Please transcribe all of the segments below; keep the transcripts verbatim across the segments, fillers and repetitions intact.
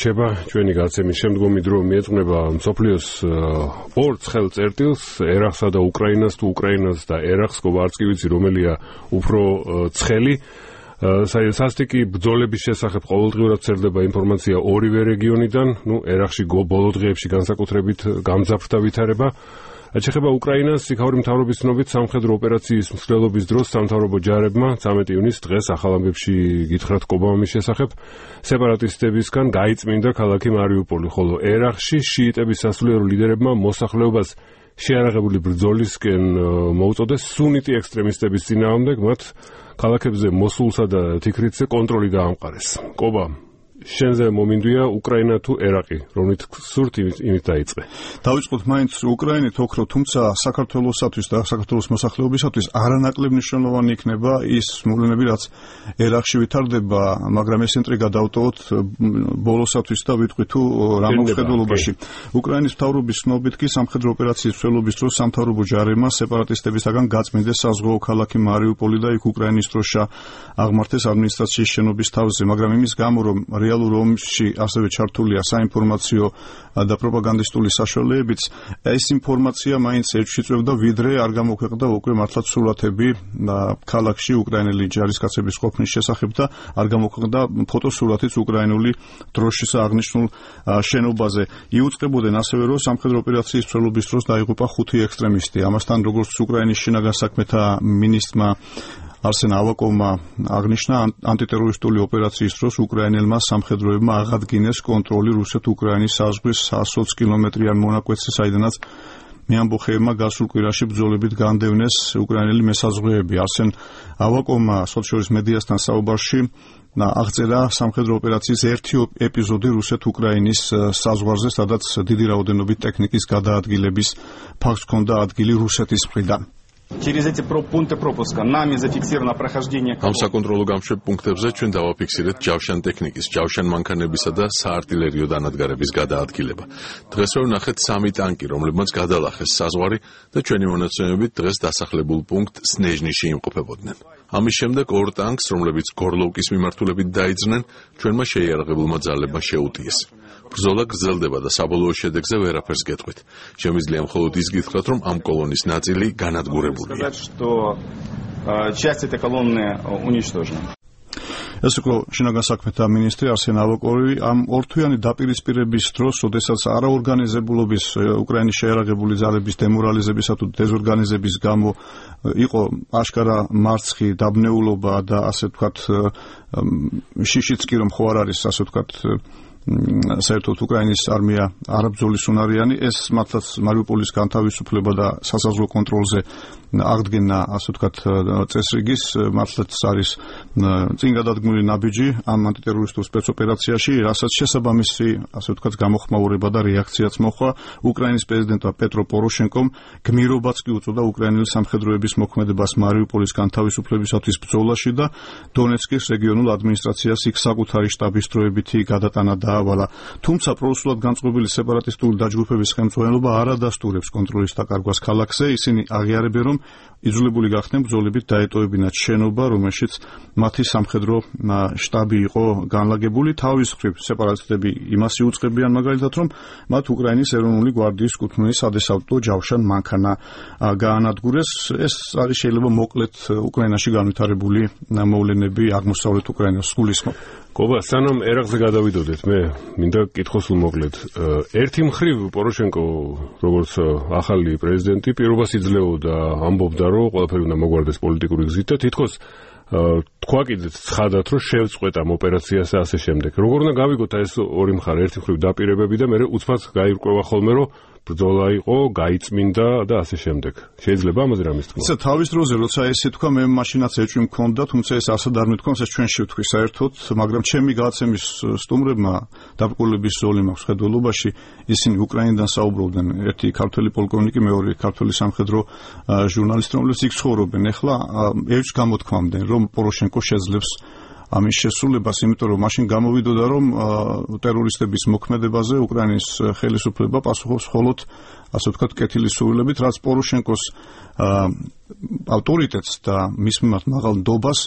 რჩება ჩვენი გაცემის შემდგომი დრო მიეძღვნება მსოფლიოს ორ ცხელ წერტილს, ერაყსა და უკრაინას, თუ უკრაინას და ერაყს, კობა არც კი ვიცი რომელია უფრო ცხელი. სასტიკი ბრძოლების შესახებ ყოველდღიურად წერდება ინფორმაცია ორივე რეგიონიდან, ნუ ერაყში ბოლო დღეებში განსაკუთრებით გამძაფრდა ვითარება. ეხება უკრაინას, იქაური მთავრობის ცნობით სამხედრო ოპერაციის მსვლელობის დროს სამთავრობო ჯარებმა ცამეტი ივნისს დღეს ახალ ამბებში გითხრათ კობამის შესახებ სეპარატისტებისგან გაიწმინდა ქალაქი მარიუპოლი, ხოლო ერაყში შიიტების სასულიერო ლიდერებმა მოსახლეობას შეარაღებული ბრძოლისკენ მოუწოდეს სუნიტი ექსტრემისტების წინააღმდეგ, მათ ქალაქებზე მოსულსა და თიქრიცზე კონტროლი დაამყარეს. კობა შენზე მომინდვია უკრაინა თუ ერაყი, რომით სურთ იმით დაიწყე. დავიწყოთ მაინც უკრაინით ოქრო, თუმცა საქართველოსათვის და საქართველოს მოსახლეობისათვის არანაკლებ მნიშვნელოვანი იქნება ის მოვლენები, რაც ერაყში ვითარდება, მაგრამ ეს ინტრიგა დავტოვოთ ბოლოსათვის და ვიტყვი თუ რა მოხდულობაში. უკრაინის მთავრობის ცნობით კი სამხედრო ოპერაციის მსვლელობის დროს სამთავრობო ჯარებმა სეპარატისტებისაგან გაწმინდეს საზღვაო ქალაქი მარიუპოლი და იქ უკრაინის დროშა აღმართეს ადმინისტრაციის შენობის თავზე, მაგრამ იმის გამო რომ რეალურ ომში ასევე ჩართულია საინფორმაციო და პროპაგანდისტული საშუალებებიც, ეს ინფორმაცია მაინც ეთში წვევდა, ვიდრე არ გამოქვეყნდა უკვე მართლაც სურათები ქალაქში უკრაინელი ჯარისკაცების ყოფნის შესახებ და არ გამოქვეყნდა ფოტოსურათიც უკრაინული დროშის აღნიშნულ შენობაზე. იუწყებოდნენ ასევე, რომ სამხედრო ოპერაციის მსვლელობის დროს დაიღუპა ხუთი ექსტრემისტი. ამასთან, როგორც უკრაინის შინაგან საქმეთა მინისტრმა არსენ ავაკოვმა აღნიშნა, ანტიტერორისტული ოპერაციის დროს უკრაინელმა სამხედროებმა აღადგინეს კონტროლი რუსეთ-უკრაინის საზღვრის sto კილომეტრიან მონაკვეთზე, საიდანაც მეამბოხეებმა გასულ კვირაში ბრძოლებით განდევნეს უკრაინელი მესაზღვრეები. არსენ ავაკოვმა სოციალურ მედიასთან საუბარში აღწერა სამხედრო ოპერაციის ერთი ეპიზოდი რუსეთ-უკრაინის საზღვარზე, სადაც დიდი რაოდენობით ტექნიკის გადაადგილების ფაქტს ჰქონდა ადგილი რუსეთის მხრიდან. Через эти пункты пропуска нами зафиксировано прохождение. Ამ საკონტროლო გამშვებ პუნქტებზე ჩვენ დავაფიქსირეთ ჯავშან ტექნიკის, ჯავშან მანქანებისა და საარტილერიო დანადგარების გადაადგილება. დღეს ვერ ვნახეთ სამი ტანკი, რომლებმაც გადალახეს საზღვარი და ჩვენი მონაცემებით დღეს დასახლებულ პუნქტ სნეჟნიში იმყოფებოდნენ. ამის შემდეგ ორ ტანკს, რომლებიც გორლოვკის მიმართულებით დაიძრნენ, ჩვენმა შეიარაღებულმა ძალებმა შეუტიეს. ბრძოლა გრძელდება და საბოლოო შედეგზე ვერაფერს გეტყვით. შემიძლია მხოლოდ ის გითხრათ, რომ ამ კოლონის ნაწილი განადგურებულია. ეს იყო შინაგან საქმეთა მინისტრი არსენ ავაკოვი. ამ ორთვიანი დაპირისპირების დროს, როდესაც არაორგანიზებულობის უკრაინის შეიარაღებული ძალების დემორალიზებისა თუ დეზორგანიზების გამო იყო აშკარა მარცხი, დაბნეულობა და ასე ვთქვათ შიშიც კი რომ ხო არ არის, ასე ვთქვათ საერთოდ უკრაინის არმია არაბძოლის უნარიანი, ეს მართლაც მარიუპოლის განთავისუფლება და სასაზღვრო კონტროლზე აღდგენა, ასე ვთქვათ, წესრიგის მართლაც არის წინ გადადგმული ნაბიჯი ამ ანტიტერორისტულ სპეცოპერაციაში, რასაც შესაბამისი, ასე ვთქვათ, გამოხმაურება და რეაქციაც მოხდა. უკრაინის პრეზიდენტმა პეტრო პოროშენკომ გმირობაც კი უწოდა უკრაინელი სამხედროების მოქმედებას მარიუპოლის განთავისუფლებისათვის ბრძოლაში და დონეცკის რეგიონულ ადმინისტრაციას იქ საკუთარი შტაბის დროებითი გადატანა დაავალა. თუმცა პრორუსულად განწყობილი სეპარატისტული დაჯგუფების ხელმძღვანელობა არ ადასტურებს კონტროლის დაკარგვას ქალაქზე. ისინი აღიარებენ, რომ იძულებული გახდნენ ბრძოლებით დაეტოვებინათ შენობა, რომელშიც მათი სამხედრო შტაბი იყო განლაგებული. თავის მხრივ სეპარატისტები იმას იუწყებიან მაგალითად, რომ მათ უკრაინის ეროვნული გვარდიის კუთვნილი სადესავტო ჯავშან მანქანა გაანადგურეს. ეს არის შეიძლება მოკლედ უკრაინაში განვითარებული მოვლენები აღმოსავლეთ უკრაინას გულისხმობ. კობა, სანამ ერაყზე გადავიდოდეთ, მე მინდა კითხოს უმოკლედ. ერთი მხრივ პოროშენკო, როგორც ახალი პრეზიდენტი, პირობას იძლეოდა, ამბობდა, რომ ყველაფერი უნდა მოგვარდეს პოლიტიკური გზით და თითქოს თქვა კიდეც ცხადად, რომ შევწყვეტ ამ ოპერაციას და ასე შემდეგ. როგორ უნდა გავიგოთ ეს ორი მხარე, ერთი მხრივ დაპირებები და მეორე უცბად გაირკვევა ხოლმე, რომ ბრძოლა იყო, გაიწმინდა და ასე შემდეგ. შეიძლება ამაზე რამის თქვა? ისა თავის დროზე, როცა ესე თქვა, მე მაშინაც ეჭვი მქონდა, თუმცა ეს ასად არ მithქვამს, ეს ჩვენ შევთქვი საერთოდ, მაგრამ ჩემი გადაცემის სტუმრებმა დაბრკოლების ზოლი მაქვს ხედველობაში, ისინი უკრაინიდან საუბრობდნენ, ერთი ქართველი პოლკოვნიკი, მეორე ქართველი სამხედრო ჟურნალისტი, რომლებიც იქ ცხოვრობენ. ეხლა ეჭვს გამოთქვამდნენ, რომ პოროშენკო შეძლებს ამის შესრულებას, იმიტომ რომ მაშინ გამოვიდოდა, რომ ტერორისტების მოქმედებაზე უკრაინის ხელისუფლება პასუხობს მხოლოდ, ასე ვთქვათ, კეთილის სურვილებით, რაც პოროშენკოს ავტორიტეტს და მის მიმართ მაღალ ნდობას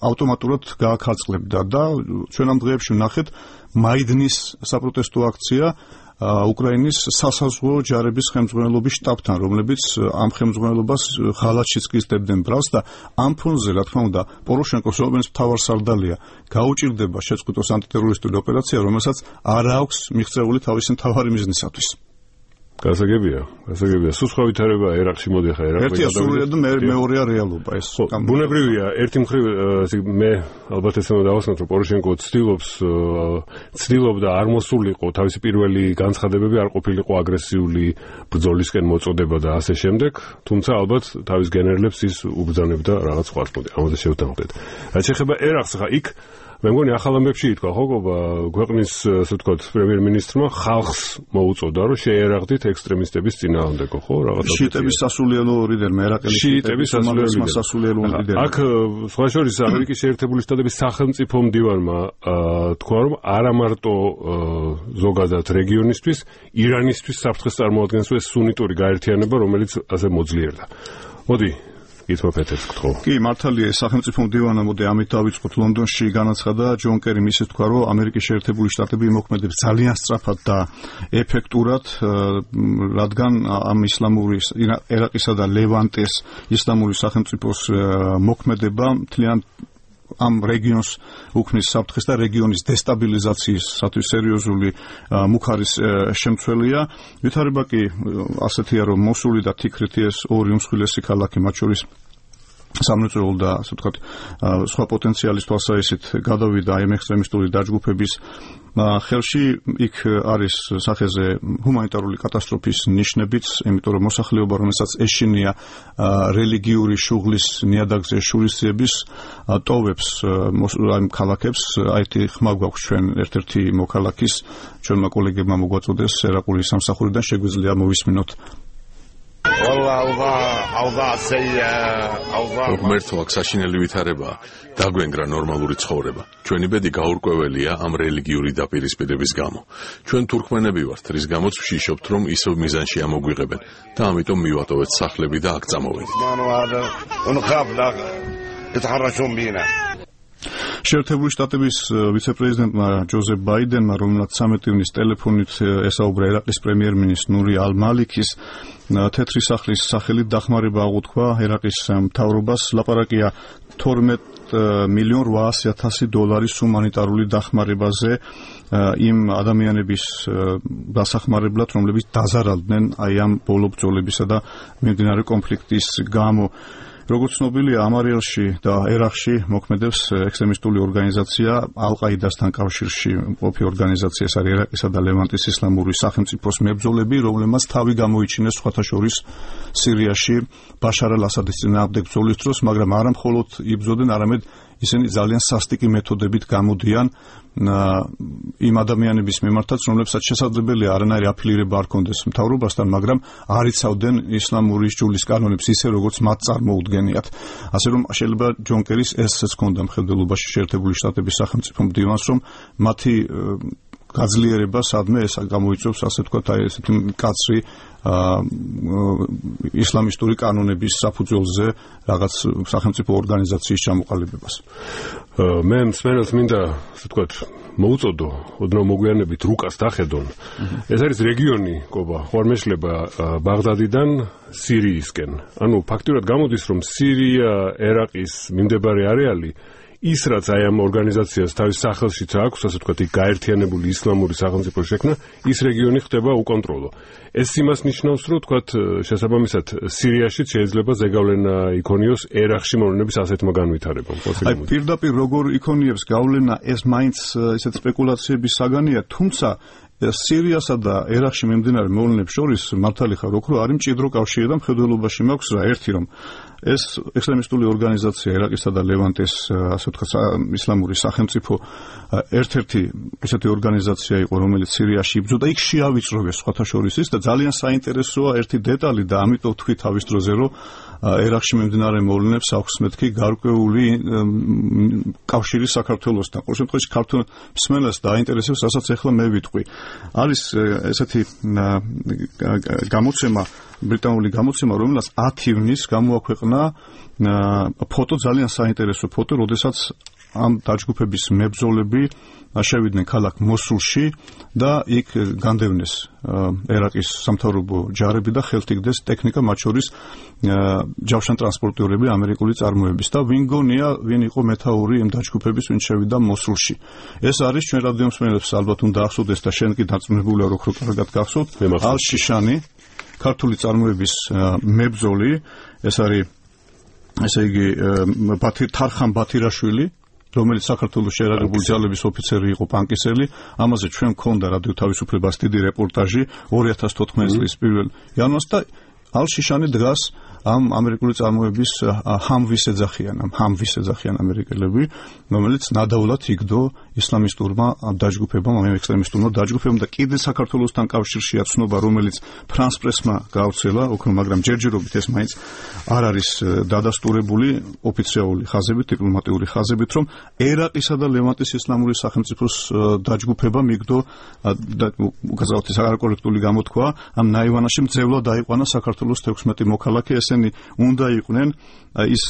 ავტომატურად გააქარწყლებდა და ჩვენ ამ დღეებში ვნახეთ მაიდნის საპროტესტო აქცია უკრაინის სასაზღვრო ჯარების ხელმძღვანელობის შტაბთან, რომლებიც ამ ხელმძღვანელობას ღალატშიც გიზდებდნენ ბრალს და ამ ფონზე, რა თქმა უნდა, პოროშენკოს რომელიც მთავარსარდალია, გაუჭირდება შეწყვიტოს ანტიტერორისტული ოპერაცია, რომელსაც არ აქვს მიღწეული თავისი მთავარი მიზნისათვის. გასაგებია, გასაგებია. სულ სხვა ვითარება ერაყში მოდი ხა ერაყში. ერთია სურვილი და მეორეა რეალობა ეს. ბუნებრივია, ერთი მხრივ მე ალბათ ეს უნდა დავასწროთ, რომ პოროშენკო ცდილობს ცდილობდა არ მოსულიყო თავისი პირველი განცხადებები, არ ყოფილიყო აგრესიული ბრძოლისკენ მოწოდება და ასე შემდეგ, თუმცა ალბათ თავის გენერლებს ის უბრძანებდა რაღაც სხვა პონტი. ამაზე შევთანხმდეთ. რაც შეეხება ერაყს ხა იქ მე მგონი ახალ ამბებში ითქვა ხო ქვეყნის ასე ვთქვათ პრემიერ-მინისტრმა ხალხს მოუწოდა რომ შეერაღდით ექსტრემისტების წინააღმდეგო ხო რაღაცა შიიტების სასულიერო ლიდერმა ერაყელი შიიტების სასულიერო ლიდერმა აქ სხვა შორის ამერიკის შეერთებული შტატების სახელმწიფო მდივანმა თქვა რომ არა მარტო ზოგადად რეგიონისთვის ირანისთვის საფრთხეს წარმოადგენს ეს სუნიტური გაერთიანება რომელიც ასე მოძლიერდა მოდი კი, მართალია, სახელმწიფო მდივანმა მოდი ამით დავიწყოთ ლონდონში განაცხადა ჯონ კერიმ ისე თქვა, რომ ამერიკის შეერთებული შტატები იმოქმედებს ძალიან სწრაფად და ეფექტურად, რადგან ამ ისლამური ერაყისა და ლევანტეს ისლამური სახელმწიფოს მოქმედება მთლიან ამ რეგიონს უქმნის საფრთხეს და რეგიონის დესტაბილიზაციისათვის სერიოზული მუხარის შემცველია. ვითარება კი ასეთია, რომ მოსული და თიქრეთი ეს ორი უმსხვილესი ქალაქი, მათ შორის სამრეწველო და ასე ვთქვათ სხვა პოტენციალის თვალსაზრისით გადავიდა ამ ექსტრემისტული დაჯგუფების ხელში. იქ არის სახეზე ჰუმანიტარული კატასტროფის ნიშნებიც, იმიტომ რომ მოსახლეობა, რომელსაც ეშინია რელიგიური შუღლის ნიადაგზე შურისძიების ტოვებს ამ ქალაქებს. აეთი ხმა გვაქვს ჩვენ ერთ-ერთი მოქალაქის, ჩვენმა კოლეგებმა მოგვაწოდეს ერაყული სამსახურიდან, შეგვიძლია მოვისმინოთ. ღმერთო აქ საშინელი ვითარებაა დაგვენგრა ნორმალური ცხოვრება ჩვენი ბედი გაურკვეველია ამ რელიგიური დაპირისპირების გამო ჩვენ თურქმენები ვართ რის გამოც ვშიშობთ რომ ისევ მიზანში ამოგვიღებენ და ამიტომ მივატოვეთ სახლები და აქ წამოვედით შეერთებული შტატების ვიცე-პრეზიდენტმა ჯოზეფ ბაიდენმა, რომელსაც ცამეტი ივნის ტელეფონით ესაუბრა ერაყის პრემიერ-მინისტრ ნური ალ-მალიქის თეთრი სახლის სახელით დახმარება აღუთქვა ერაყის მთავრობას. ლაპარაკია თორმეტ მილიონ რვაასი ათასი დოლარის ჰუმანიტარული დახმარებაზე იმ ადამიანების დასახმარებლად, რომლებიც დაზარალდნენ აი ამ ბოლო ბრძოლებისა და მიმდინარე კონფლიქტის გამო. როგორც ცნობილია, ამარიელში და ერაყში მოქმედებს ექსტრემისტული ორგანიზაცია ალ-ყაიდასთან კავშირში მყოფი ორგანიზაცია, ეს არის ერაყისა და ლევანტის ისლამური სახელმწიფოს მებრძოლები, რომლებმაც თავი გამოიჩინეს სხვათა შორის სირიაში ბაშარ ალ-ასადის წინააღმდეგ ბრძოლის დროს, მაგრამ არა მხოლოდ იბრძოდნენ, არამედ ისინი ძალიან სასტიკი მეთოდებით გამოდიან იმ ადამიანების მიმართაც, რომლებსაც შესაძლებელია არანაირი აფილირება არ კონდეს მთავრობასთან, მაგრამ არ იცავდნენ ისლამური ჯულის კანონებს ისე, როგორც მათ წარმოუდგენიათ. ასე რომ შეიძლება ჯონ კერის ესეც ჰქონდა მხედველობაში შეერთებული შტატების სახელმწიფო მდივანს, რომ მათი გაძლიერება სადმე ეს გამოიწვევს, ასე ვთქვათ, აი ესეთი მკაცრი ისლამისტური კანონების საფუძველზე რაღაც სახელმწიფო ორგანიზაციის ჩამოყალიბებას. მე მსმენელს მინდა, ასე ვთქვათ, მოუწოდო, ოდნავ მოგვიანებით რუკას დახედონ. ეს არის რეგიონი, კობა, ხო არ მეშლება ბაღდადიდან სირიისკენ. ანუ ფაქტურად გამოდის, რომ სირია, ერაყის მიმდებარე არეალი ის რაც აი ამ ორგანიზაციას თავის სახელშიც აქვს, ასე ვთქვათ, იქ გაერთიანებული ისლამური სახელმწიფო შექმნა, ის რეგიონი ხდება უკონტროლო. ეს იმას ნიშნავს, რომ ვთქვათ, შესაბამისად სირიაში შეიძლება ზეგავლენა იქონიოს ერაყში მოვლენების ასეთმა განვითარებამ. აი პირდაპირ როგორ იქონიებს გავლენა, ეს მაინც ესეთ სპეკულაციების საგანია, თუმცა სირიასა და ერაყში მიმდინარე მოვლენებს შორის მართალი ხარ, რომ არის მჭიდრო კავშირი და მხედველობაში მაქვს რა ერთი რომ ეს ექსტრემისტული ორგანიზაცია ერაყისა და ლევანტეს ასე ვთქვათ ისლამური სახელმწიფო ერთ-ერთი ესეთი ორგანიზაცია იყო, რომელიც სირიაში იბრძოდა, იქ შეავიწროვეს სხვათა შორის ის და ძალიან საინტერესოა ერთი დეტალი და ამიტომ თქვი თავის დროზე, რომ ერაყში მიმდინარე მოვლენებს აქვს მეთქი გარკვეული კავშირი საქართველოსთან. ყოველ შემთხვევაში ქართულ მსმენელს დაინტერესებს, რასაც ახლა მე ვიტყვი. არის ესეთი გამოცემა, ბრიტანული გამოცემა, რომელსაც ათი ივნის გამოაქვეყნა ფოტო, ძალიან საინტერესო ფოტო, როდესაც ამ დაჯგუფების მებრძოლები შევიდნენ ქალაქ მოსულში და იქ განდევნეს ერაყის სამთავრობო ჯარები და ხელთიგდეს ტექნიკა, მათ შორის ჯავშანტრანსპორტიორები ამერიკული წარმოების და ვინ გონია, ვინ იყო მეთაური იმ დაჯგუფების, ვინ შევიდა მოსულში. ეს არის ჩვენ რადიომსმენელებს ალბათ უნდა ახსოვდეს და შენ კი დარწმუნებულია რომ კარგად გახსოვთ, ალ-შიშანი, ქართული წარმოების მებრძოლი, ეს არის ესე იგი თარხან ბათირაშვილი, რომელიც საქართველოს შეერაგებული ძალების ოფიცერი იყო, პანკისელი. ამაზე ჩვენ გქონდა რადიო თავისუფლებას დიდი რეპორტაჟი ორი ათას თოთხმეტი წლის პირველ იანვარს და ალ-შიშანი დგას ამ ამერიკული წარმოების ჰამვის ეძახიან, ამ ჰამვის ეძახიან ამერიკელები, რომელიც ნადავლად იგდო ისლამისტურმა დაჯგუფებამ, ამ ექსტრემისტურმა დაჯგუფებამ და კიდე საქართველოსთან კავშირშია ცნობა, რომელიც ფრანს პრესმა გავრცელა, ოქრო, მაგრამ ჯერჯერობით ეს მაინც არ არის დადასტურებული ოფიციალური ხაზებით, დიპლომატიური ხაზებით, რომ ერაყისა და ლევანტის ისლამური სახელმწიფოს დაჯგუფებამ იგდო უგაზავთი საკორექტული გამოთქვა, ამ ნაივანაში მძევლად დაიყვანა საქართველოს თექვსმეტი მოქალაქე. ესენი უნდა იყვნენ ის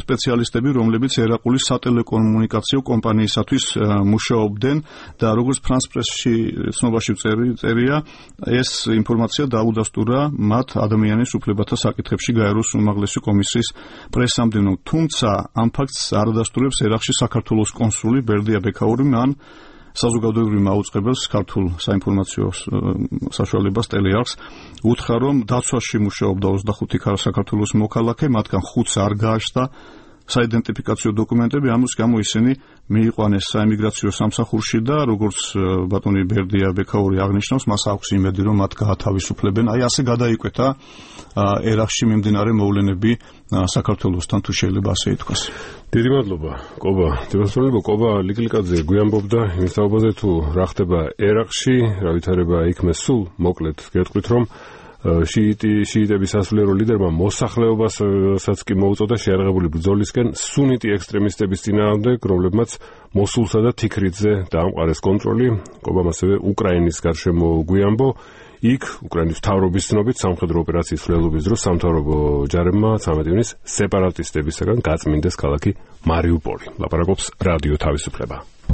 სპეციალისტები, რომლებიც ერაყული სატელეკომუნიკაციო კომპანიისათვის მუშაობდნენ და როგორც ფრანს პრესში ცნობაში წერია, ეს ინფორმაცია დაუდასტურა მათ ადამიანის უფლებათა საკითხებში გაეროს უმაღლესი კომისიის პრესამდე. თუმცა ამ ფაქტს არ ადასტურებს ერაყში საქართველოს კონსული ბერდია ბექაური, მან საზოგადოებრივ მაუწყებელს ქართულ საინფორმაციო საშუალებას ტელეარხს უთხრა, რომ დაცვაში მუშაობდა ოცდახუთი საქართველოს მოქალაქე, მათგან ხუთს არ გააჩნდა საიდენტიფიკაციო დოკუმენტები, ამის გამო ისინი მიიყვანეს საიმიგრაციო სამსახურში და როგორც ბატონი ბერდია ბექაური აღნიშნავს, მას აქვს იმედი, რომ მათ გაათავისუფლებენ. აი ასე გადაიკვეთა ერაყში მიმდინარე მოვლენები საქართველოსთან, თუ შეიძლება ასე ითქვას. დიდი მადლობა, კობა. დიმასწრებო კობა ლიკლიკაძე გვიამბობდა იმის თაობაზე, თუ რა ხდება ერაყში, რა ვითარება იქმე სულ მოკლედ გეტყვით, რომ შიიტი შიიტების სასულიერო ლიდერმა მოსახლეობასაც კი მოუწოდა შეიარაღებული ბრძოლისკენ სუნიტი ექსტრემისტების წინააღმდეგ, რომლებმაც მოსულსა და თიქრიძე დაამყარეს კონტროლი. კობამ ასევე უკრაინის გარშემო გვიამბო. იქ უკრაინის მთავრობის ცნობით სამხედრო ოპერაციის მკვლელობის დროს სამთავრობო ჯარებმა ცამეტი ივნის სეპარატისტებისაგან გაწმინდეს ქალაქი მარიუპოლი. ლაპარაკობს რადიო თავისუფლება.